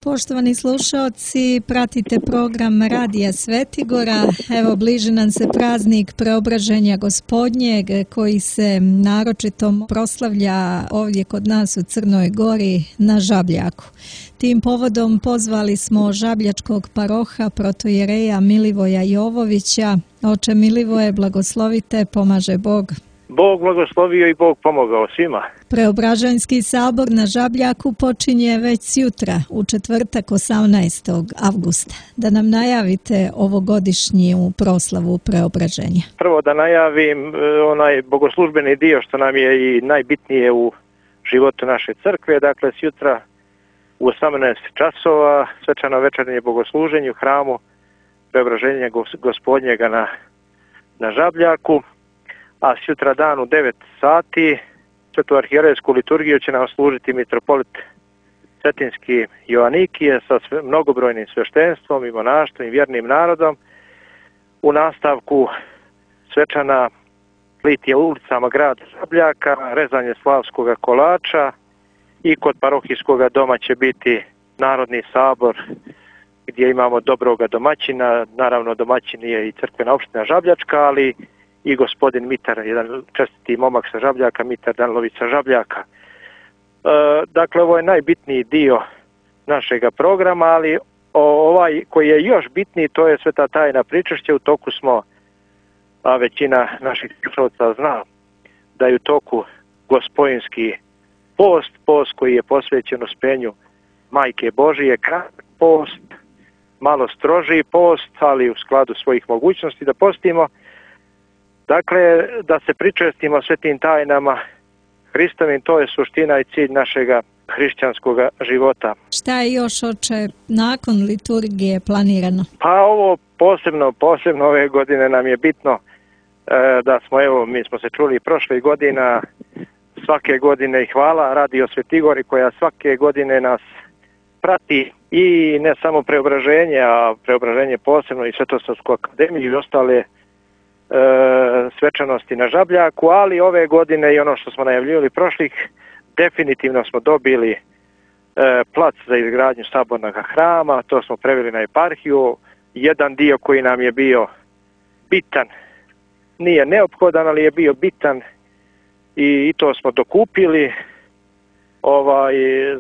Poštovani slušaoci, pratite program Radija Svetigora. Evo, bliži nam se praznik Preobraženja Gospodnjeg koji se naročito proslavlja ovdje kod nas u Crnoj Gori na Žabljaku. Tim povodom pozvali smo žabljačkog paroha protojereja Milivoja Jovovića. Oče Milivoje, blagoslovite, pomaže Bog. Bog blagoslovio i Bog pomogao svima. Preobraženjski sabor na Žabljaku počinje već sutra, u četvrtak 18. avgusta. Da nam najavite ovogodišnju proslavu preobraženja. Prvo da najavim onaj bogoslužbeni dio što nam je i najbitnije u životu naše crkve. Dakle, sutra u 18 časova svečano večernje bogosluženje u hramu Preobraženja Gospodnjega na Žabljaku. A sutra dan u 9 sati svetu arhijerejsku liturgiju će nam služiti mitropolit Cetinski Joanikije sa mnogobrojnim sveštenstvom i monaštvom i vjernim narodom. U nastavku svečana litija ulicama grada Žabljaka, rezanje slavskog kolača i kod parohijskog doma će biti Narodni sabor gdje imamo dobroga domaćina. Naravno, domaćin je i crkvena opština Žabljačka, ali i gospodin Mitar, jedan čestiti momak sa Žabljaka, Mitar Danlović sa Žabljaka. Dakle, ovo je najbitniji dio našega programa, ali ovaj koji je još bitniji, to je sveta tajna pričešća. U toku smo, a većina naših slušalaca zna, da je u toku gospojinski post koji je posvećen uspenju Majke Božije, kratak post, malo strožiji post, ali u skladu svojih mogućnosti da postimo. Dakle, da se pričestimo svetim tajnama Hristovim, to je suština i cilj našega hrišćanskog života. Šta je još, oče, nakon liturgije planirano? Pa ovo posebno ove godine nam je bitno da smo, evo, mi smo se čuli prošle godina, svake godine i hvala Radio Svetigori koja svake godine nas prati i ne samo preobraženje, a preobraženje posebno i Svetosavsku akademiju i ostale svečanosti na Žabljaku, ali ove godine i ono što smo najavljivali prošlih, definitivno smo dobili plac za izgradnju sabornog hrama, to smo preveli na eparhiju. Jedan dio koji nam je bio bitan, nije neophodan, ali je bio bitan i to smo dokupili,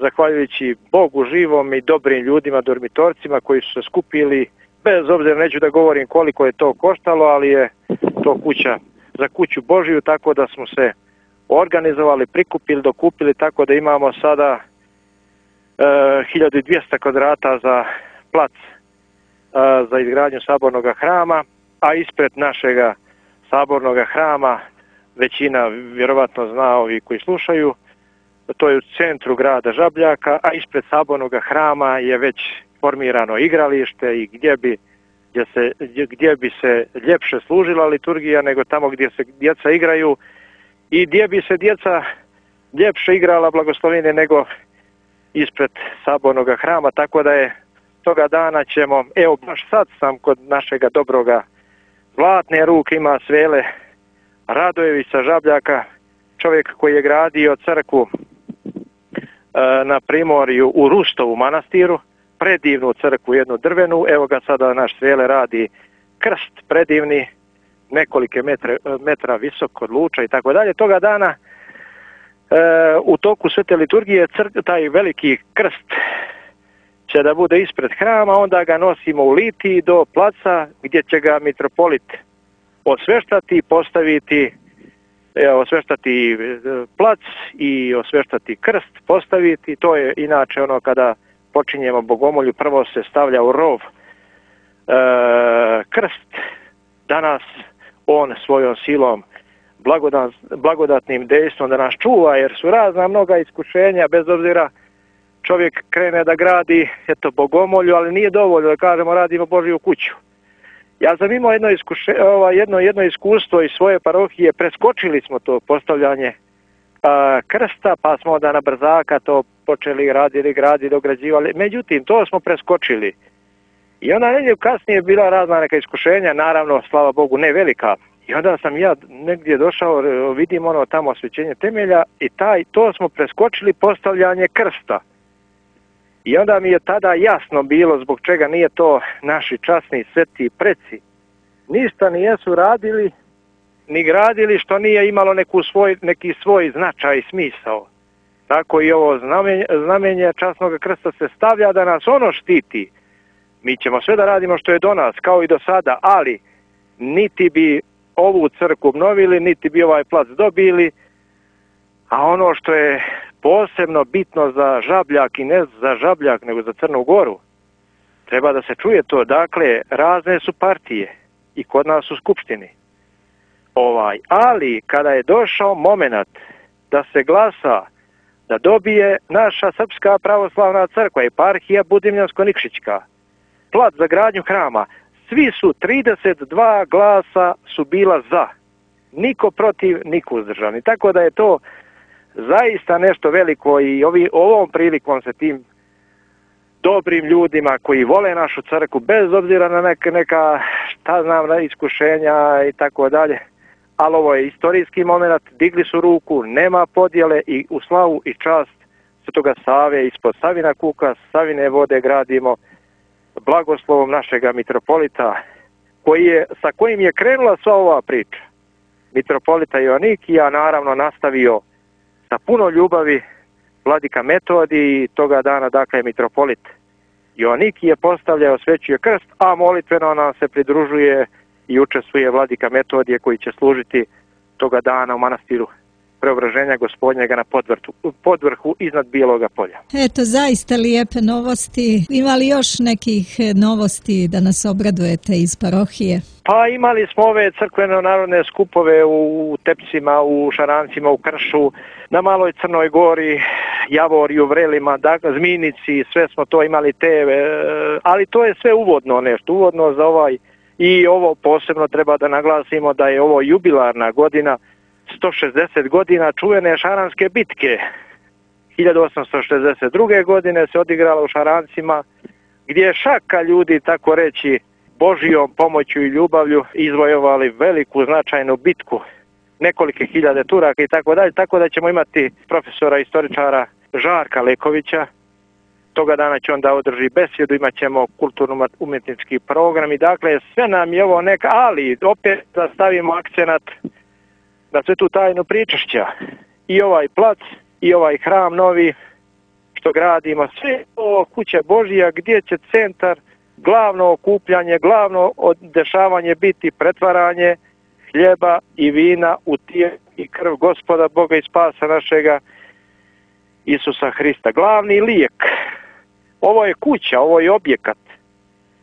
zahvaljujući Bogu živom i dobrim ljudima, dormitorcima koji su se skupili. Bez obzira, neću da govorim koliko je to koštalo, ali je to kuća za kuću Božiju, tako da smo se organizovali, prikupili, dokupili, tako da imamo sada 1200 kvadrata za plac za izgradnju sabornog hrama, a ispred našega sabornog hrama, većina vjerovatno zna ovi koji slušaju, to je u centru grada Žabljaka, a ispred sabornog hrama je već formirano igralište i gdje bi se ljepše služila liturgija nego tamo gdje se djeca igraju i gdje bi se djeca ljepše igrala blagoslovine nego ispred sabornog hrama, tako da je toga dana ćemo, evo baš sad sam kod našega dobroga zlatne ruke, ima Svele Radojević sa Žabljaka, čovjek koji je gradio crkvu na Primorju u Rustovu manastiru, predivnu crkvu, jednu drvenu, evo ga sada naš Svele radi krst predivni, nekolike metra visok od luča i tako dalje. Toga dana u toku svete liturgije taj veliki krst će da bude ispred hrama, onda ga nosimo u litiji do placa gdje će ga mitropolit osveštati, osveštati plac i osveštati krst, postaviti. To je inače ono kada počinjemo bogomolju, prvo se stavlja u rov krst. Danas on svojom silom, blagodatnim dejstvom da nas čuva, jer su razna mnoga iskušenja, bez obzira čovjek krene da gradi bogomolju, ali nije dovoljno da kažemo radimo Božju kuću. Ja sam imao jedno iskustvo iz svoje parohije, preskočili smo to postavljanje krsta, pa smo onda na brzaka to počeli graditi, dograđivali. Međutim, to smo preskočili. I onda negdje kasnije je bila razna neka iskušenja, naravno, slava Bogu, ne velika. I onda sam ja negdje došao, vidim tamo osvećenje temelja i to smo preskočili postavljanje krsta. I onda mi je tada jasno bilo zbog čega nije to naši časni sveti preci. Ništa nijesu radili, ni gradili što nije imalo neki svoj značaj i smisao. Tako i ovo znamenje časnog krsta se stavlja da nas ono štiti. Mi ćemo sve da radimo što je do nas, kao i do sada, ali niti bi ovu crkvu obnovili, niti bi ovaj plac dobili, a ono što je posebno bitno za Žabljak i ne za Žabljak, nego za Crnu Goru, treba da se čuje to. Dakle, razne su partije i kod nas u Skupštini. Ali kada je došao moment da se glasa, da dobije naša Srpska pravoslavna crkva, eparhija Budimljansko-Nikšićka, plac za gradnju hrama, svi su 32 glasa su bila za. Niko protiv, niko uzdržani. Tako da je to zaista nešto veliko i ovom prilikom se tim dobrim ljudima koji vole našu crkvu, bez obzira na neka iskušenja i tako dalje, ali ovo je istorijski moment, digli su ruku, nema podjele i u slavu i čast Svetoga Save ispod Savina kuka, Savine vode gradimo blagoslovom našega mitropolita sa kojim je krenula sva ova priča. Mitropolita Joanikija naravno nastavio sa puno ljubavi vladika Metodij i toga dana dakle mitropolit Joanikije postavlja, osvećuje krst, a molitveno nam se pridružuje i učestvuje vladika Metodije koji će služiti toga dana u manastiru Preobraženja Gospodnjega na podvrhu iznad Bijeloga polja. Eto, zaista lijepe novosti. Ima li još nekih novosti da nas obradujete iz parohije? Pa imali smo ove crkveno-narodne skupove u Tepcima, u Šarancima, u Kršu, na Maloj Crnoj Gori, Javoriju, Vrelima, dakle, Zminici, sve smo to imali ali to je sve uvodno nešto, uvodno za i ovo posebno treba da naglasimo da je ovo jubilarna godina, 160 godina čuvene Šaranske bitke. 1862. godine se odigrala u Šarancima, gdje je šaka ljudi, tako reći, Božijom pomoću i ljubavlju izvojovali veliku značajnu bitku, nekolike hiljade Turaka i tako dalje, tako da ćemo imati profesora istoričara Žarka Lekovića. Toga dana će onda održi besjedu, imat ćemo kulturno-umjetnički program i dakle sve nam je ovo ali opet da stavimo akcenat na sve tu tajnu pričašća. I ovaj plac, i ovaj hram novi što gradimo, sve ovo kuća Božija gdje će centar, glavno okupljanje, glavno dešavanje biti pretvaranje hljeba i vina u tijelo i krv Gospoda Boga i spasa našega Isusa Hrista. Glavni lijek. Ovo je kuća, ovo je objekat.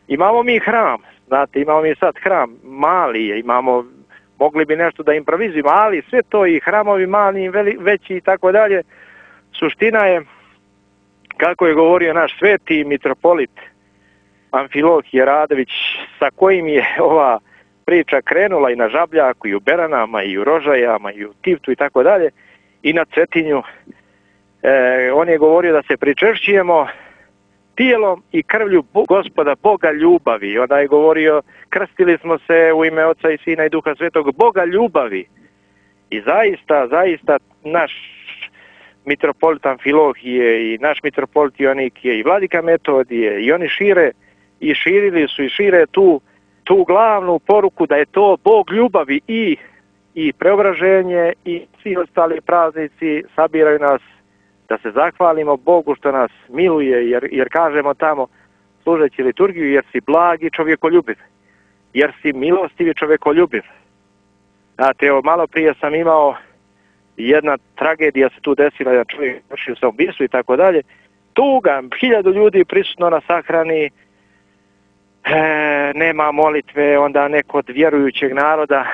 Imamo mi hram, znate, imamo mi sad hram, mali je, mogli bi nešto da improvizujemo, ali sve to i hramovi mali i veći i tako dalje. Suština je, kako je govorio naš sveti mitropolit Amfilohije Radović, sa kojim je ova priča krenula i na Žabljaku, i u Beranama, i u Rožajama, i u Tivtu i tako dalje, i na Cetinju. On je govorio da se pričešćujemo tijelom i krvlju Gospoda Boga ljubavi. Onda je govorio, krstili smo se u ime Oca i Sina i Duha Svetog, Boga ljubavi. I zaista naš mitropolit Amfilohije i naš mitropolit Joanikije i vladika Metodije i oni širili su i šire tu glavnu poruku da je to Bog ljubavi i preobraženje i svi ostali praznici sabiraju nas da se zahvalimo Bogu što nas miluje, jer kažemo tamo služeći liturgiju, jer si blagi čovjekoljubiv, jer si milostivi čovjekoljubiv. Znate, evo, malo prije sam imao jedna tragedija se tu desila, jedan čovjek vršio samoubistvo i tako dalje. Tuga, 1000 ljudi prisutno na sahrani, nema molitve, onda neko od vjerujućeg naroda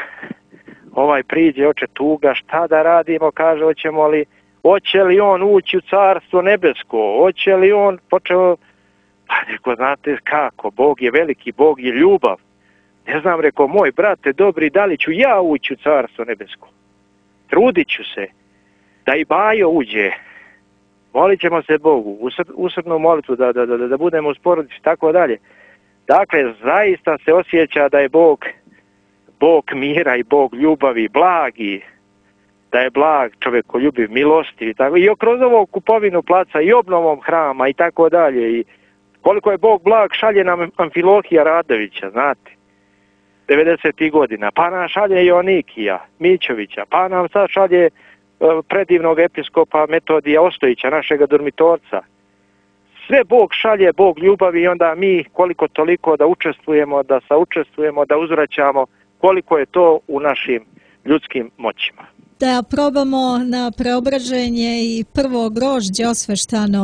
priđe, oče tuga, šta da radimo, kaže, hoće li on ući u carstvo nebesko, hoće li on počeo, pa reko, znate kako, Bog je veliki, Bog je ljubav. Ne znam, reko, moj brate dobri, da li ću ja ući u carstvo nebesko? Trudit ću se da i Bajo uđe. Molit ćemo se Bogu, usrdnu molitvu, da budemo uz porodicu i tako dalje. Dakle, zaista se osjeća da je Bog mira i Bog ljubavi, blagi. da je blag, čovjekoljubiv, milostiv i tako. I kroz ovu kupovinu placa i obnovom hrama i tako dalje. I koliko je Bog blag, šalje nam Amfilohija Radovića, znate, 90. godina. Pa nam šalje Joanikija Mićovića, pa nam sad šalje predivnog episkopa Metodija Ostojića, našega dormitorca. Sve Bog šalje, Bog ljubavi i onda mi koliko toliko da učestvujemo, da saučestvujemo, da uzvraćamo koliko je to u našim ljudskim moćima. Da probamo na preobraženje i prvo grožđe osveštano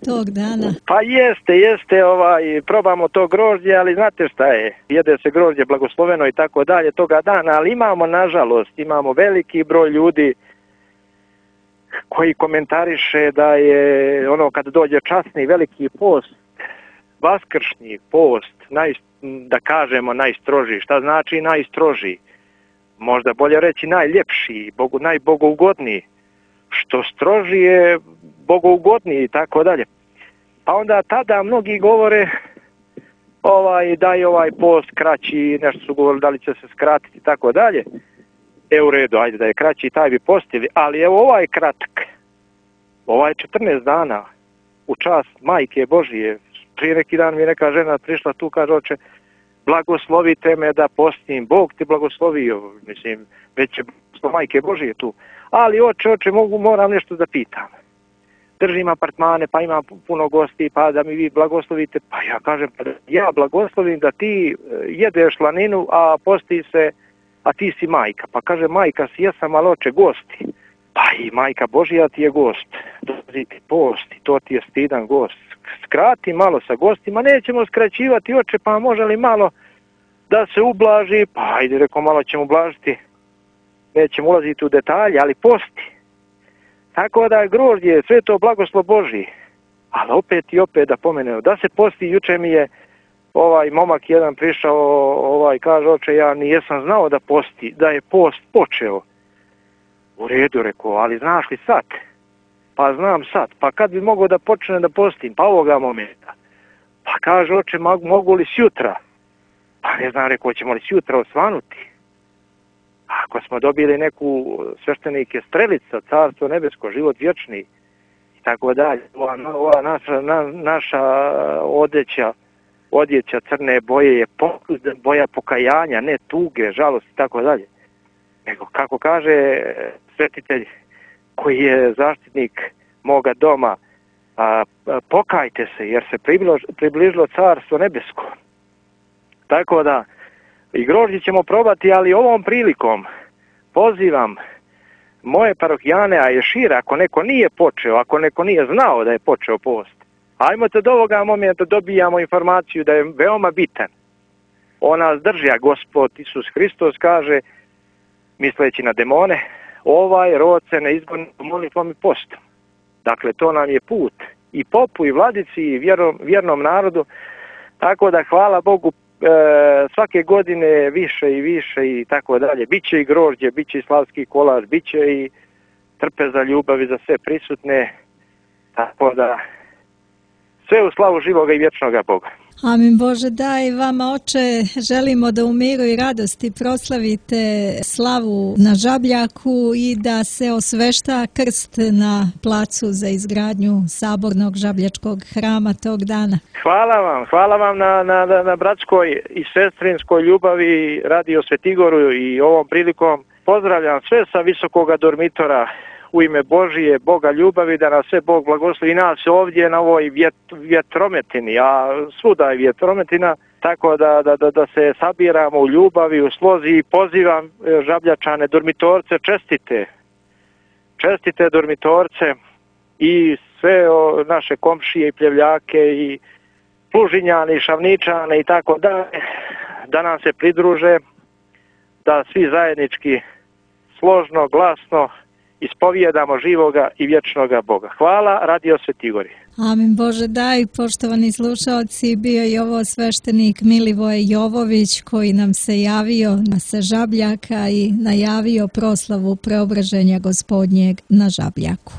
tog dana. Pa jeste, probamo to grožđe, ali znate šta je, jede se grožđe blagosloveno i tako dalje toga dana, ali imamo veliki broj ljudi koji komentariše da je ono kad dođe časni veliki post, vaskršnji post, da kažemo najstrožiji. Šta znači najstrožiji? Možda bolje reći najljepši, najbogougodniji. Što strožije, bogougodniji i tako dalje. Pa onda tada mnogi govore da je ovaj post kraći, nešto su govorili da li će se skratiti i tako dalje. U redu, ajde da je kraći, taj bi postili, ali evo ovaj kratak, ovaj 14 dana u čast Majke Božije. Prije neki dan mi neka žena prišla tu, kaže, oče, blagoslovite me da postim, Bog ti blagoslovio, mislim, već je Majke Božije tu, ali oče, moram nešto da pitam. Držim apartmane, pa imam puno gosti, pa da mi vi blagoslovite, pa ja kažem, pa ja blagoslovim da ti jedeš slaninu, a posti se, a ti si majka. Pa kaže, majka si, jesam, ali oče, gosti. Pa i Majka Božija ti je gost. Dolazi ti post i to ti je stidan gost. Skrati malo sa gostima, nećemo skraćivati, oče, pa može li malo da se ublaži? Pa ajde, reko, malo ćemo ublažiti. Nećemo ulaziti u detalje, ali posti. Tako da grožđe, sve to blagoslov Božji. Ali opet da pomenem, da se posti, juče mi je ovaj momak jedan prišao, kaže, oče, ja nijesam znao da je post počeo. U redu, rekao, ali znaš li sad? Pa znam sad. Pa kad bi mogao da počne da postim? Pa ovoga momenta. Pa kaže, oče, mogu li sjutra? Pa ne znam, rekao, ćemo li sjutra osvanuti? Ako smo dobili neku sveštenike Strelica, Carstvo nebesko, život vječni i tako dalje. Ova naša odjeća crne boje je boja pokajanja, ne tuge, žalosti i tako dalje. Nego, kako kaže svetitelj koji je zaštitnik moga doma, pokajte se jer se približilo Carstvo nebesko. Tako da i grožđe ćemo probati, ali ovom prilikom pozivam moje parohijane, a i šire, ako neko nije počeo, ako neko nije znao da je počeo post, ajmo te do ovoga momenta dobijamo informaciju da je veoma bitan. On nas drži, a Gospod Isus Hristos kaže, misleći na demone, ovaj rod se ne izgoni molitvom i postom. Dakle, to nam je put i popu i vladici i vjernom narodu, tako da hvala Bogu svake godine više i više i tako dalje. Biće i grožđe, biće i slavski kolaž, biće i trpeza ljubavi za sve prisutne, tako da sve u slavu živoga i vječnoga Boga. Amin Bože, daj vama, oče, želimo da u miru i radosti proslavite slavu na Žabljaku i da se osvešta krst na placu za izgradnju sabornog žabljačkog hrama tog dana. Hvala vam na bratskoj i sestrinskoj ljubavi Radio Svetigoru i ovom prilikom pozdravljam sve sa visokoga dormitora u ime Božije, Boga ljubavi, da nas sve Bog blagoslovi i nas ovdje na ovoj vjetrometini, a svuda je vjetrometina, tako da se sabiramo u ljubavi, u slozi i pozivam Žabljačane, dormitorce, čestite dormitorce i sve naše komšije i pljevljake i Plužinjane i Šavničane i tako da nam se pridruže, da svi zajednički složno, glasno ispovijedamo živoga i vječnoga Boga. Hvala, Radio Svetigori. Amin Bože, daj, poštovani slušalci, bio je ovo sveštenik Milivoje Jovović koji nam se javio sa Žabljaka i najavio proslavu preobraženja Gospodnjeg na Žabljaku.